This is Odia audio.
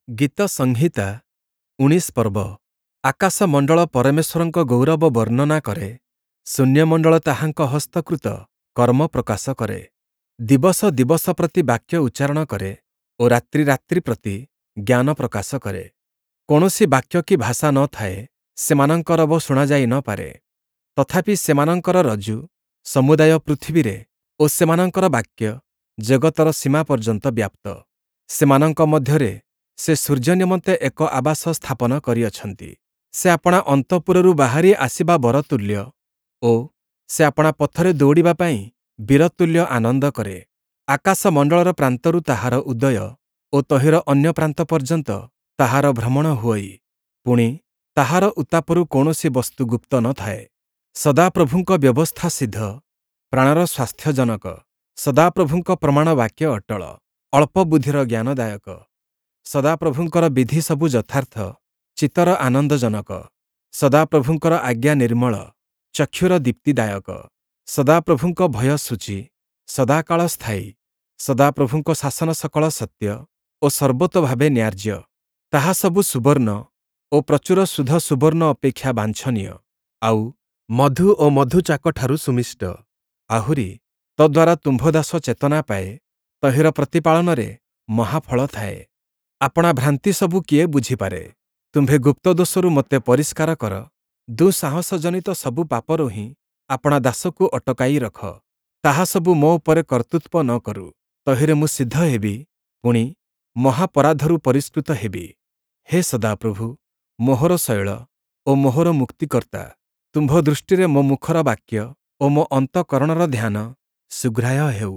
ଗୀତସଂହିତା 19 ପର୍ବ। ଆକାଶମଣ୍ଡଳ ପରମେଶ୍ୱରଙ୍କ ଗୌରବ ବର୍ଣ୍ଣନା କରେ, ଶୂନ୍ୟମଣ୍ଡଳ ତାହାଙ୍କ ହସ୍ତକୃତ କର୍ମ ପ୍ରକାଶ କରେ। ଦିବସ ଦିବସ ପ୍ରତି ବାକ୍ୟ ଉଚ୍ଚାରଣ କରେ ଓ ରାତ୍ରି ରାତ୍ରି ପ୍ରତି ଜ୍ଞାନ ପ୍ରକାଶ କରେ। କୌଣସି ବାକ୍ୟ କି ଭାଷା ନ ଥାଏ, ସେମାନଙ୍କ ରବ ଶୁଣାଯାଇ ନ ପାରେ। ତଥାପି ସେମାନଙ୍କର ରଜ୍ଜୁ ସମୁଦାୟ ପୃଥିବୀରେ ଓ ସେମାନଙ୍କର ବାକ୍ୟ ଜଗତର ସୀମା ପର୍ଯ୍ୟନ୍ତ ବ୍ୟାପ୍ତ। ସେମାନଙ୍କ ମଧ୍ୟରେ ସେ ସୂର୍ଯ୍ୟ ନିମନ୍ତେ ଏକ ଆବାସ ସ୍ଥାପନ କରିଅଛନ୍ତି। ସେ ଆପଣା ଅନ୍ତଃପୁରରୁ ବାହାରି ଆସିବା ବରତୁଲ୍ୟ ଓ ସେ ଆପଣା ପଥରେ ଦୌଡ଼ିବା ପାଇଁ ବୀରତୁଲ୍ୟ ଆନନ୍ଦ କରେ। ଆକାଶମଣ୍ଡଳର ପ୍ରାନ୍ତରୁ ତାହାର ଉଦୟ ଓ ତହିଁର ଅନ୍ୟ ପ୍ରାନ୍ତ ପର୍ଯ୍ୟନ୍ତ ତାହାର ଭ୍ରମଣ ହୁଅଇ, ପୁଣି ତାହାର ଉତ୍ତାପରୁ କୌଣସି ବସ୍ତୁ ଗୁପ୍ତ ନ ଥାଏ। ସଦାପ୍ରଭୁଙ୍କ ବ୍ୟବସ୍ଥା ସିଦ୍ଧ, ପ୍ରାଣର ସ୍ୱାସ୍ଥ୍ୟଜନକ। ସଦାପ୍ରଭୁଙ୍କ ପ୍ରମାଣ ବାକ୍ୟ ଅଟଳ, ଅଳ୍ପ ବୁଦ୍ଧିର ଜ୍ଞାନଦାୟକ। ସଦାପ୍ରଭୁଙ୍କର ବିଧି ସବୁ ଯଥାର୍ଥ, ଚିତ୍ତର ଆନନ୍ଦଜନକ। ସଦାପ୍ରଭୁଙ୍କର ଆଜ୍ଞା ନିର୍ମଳ, ଚକ୍ଷୁର ଦୀପ୍ତିଦାୟକ। ସଦାପ୍ରଭୁଙ୍କ ଭୟ ଶୁଚି, ସଦାକାଳ ସ୍ଥାୟୀ। ସଦାପ୍ରଭୁଙ୍କ ଶାସନ ସକଳ ସତ୍ୟ ଓ ସର୍ବତୋଭାବେ ନ୍ୟାଯ୍ୟ। ତାହା ସବୁ ସୁବର୍ଣ୍ଣ ଓ ପ୍ରଚୁର ଶୁଦ୍ଧ ସୁବର୍ଣ୍ଣ ଅପେକ୍ଷା ବାଞ୍ଛନୀୟ, ଆଉ ମଧୁ ଓ ମଧୁଚାକଠାରୁ ସୁମିଷ୍ଟ। ଆହୁରି ତଦ୍ଦ୍ୱାରା ତୁମ୍ଭ ଦାସ ଚେତନା ପାଏ, ତହିଁର ପ୍ରତିପାଳନରେ ମହାଫଳ ଥାଏ। ଆପଣା ଭ୍ରାନ୍ତି ସବୁ କିଏ ବୁଝିପାରେ? ତୁମ୍ଭେ ଗୁପ୍ତ ଦୋଷରୁ ମୋତେ ପରିଷ୍କାର କର, ଦୁଃସାହସଜନିତ ସବୁ ପାପରୁ ହିଁ ଆପଣା ଦାସକୁ ଅଟକାଇ ରଖ। ତାହା ସବୁ ମୋ ଉପରେ କର୍ତ୍ତୃତ୍ୱ ନ କରୁ, ତହିଁରେ ମୁଁ ସିଦ୍ଧ ହେବି, ପୁଣି ମହାପରାଧରୁ ପରିଷ୍କୃତ ହେବି। ହେ ସଦାପ୍ରଭୁ, ମୋହର ଶୈଳ ଓ ମୋହର ମୁକ୍ତିକର୍ତ୍ତା, ତୁମ୍ଭ ଦୃଷ୍ଟିରେ ମୋ ମୁଖର ବାକ୍ୟ ଓ ମୋ ଅନ୍ତଃକରଣର ଧ୍ୟାନ ସୁଗ୍ରାହ୍ୟ ହେଉ।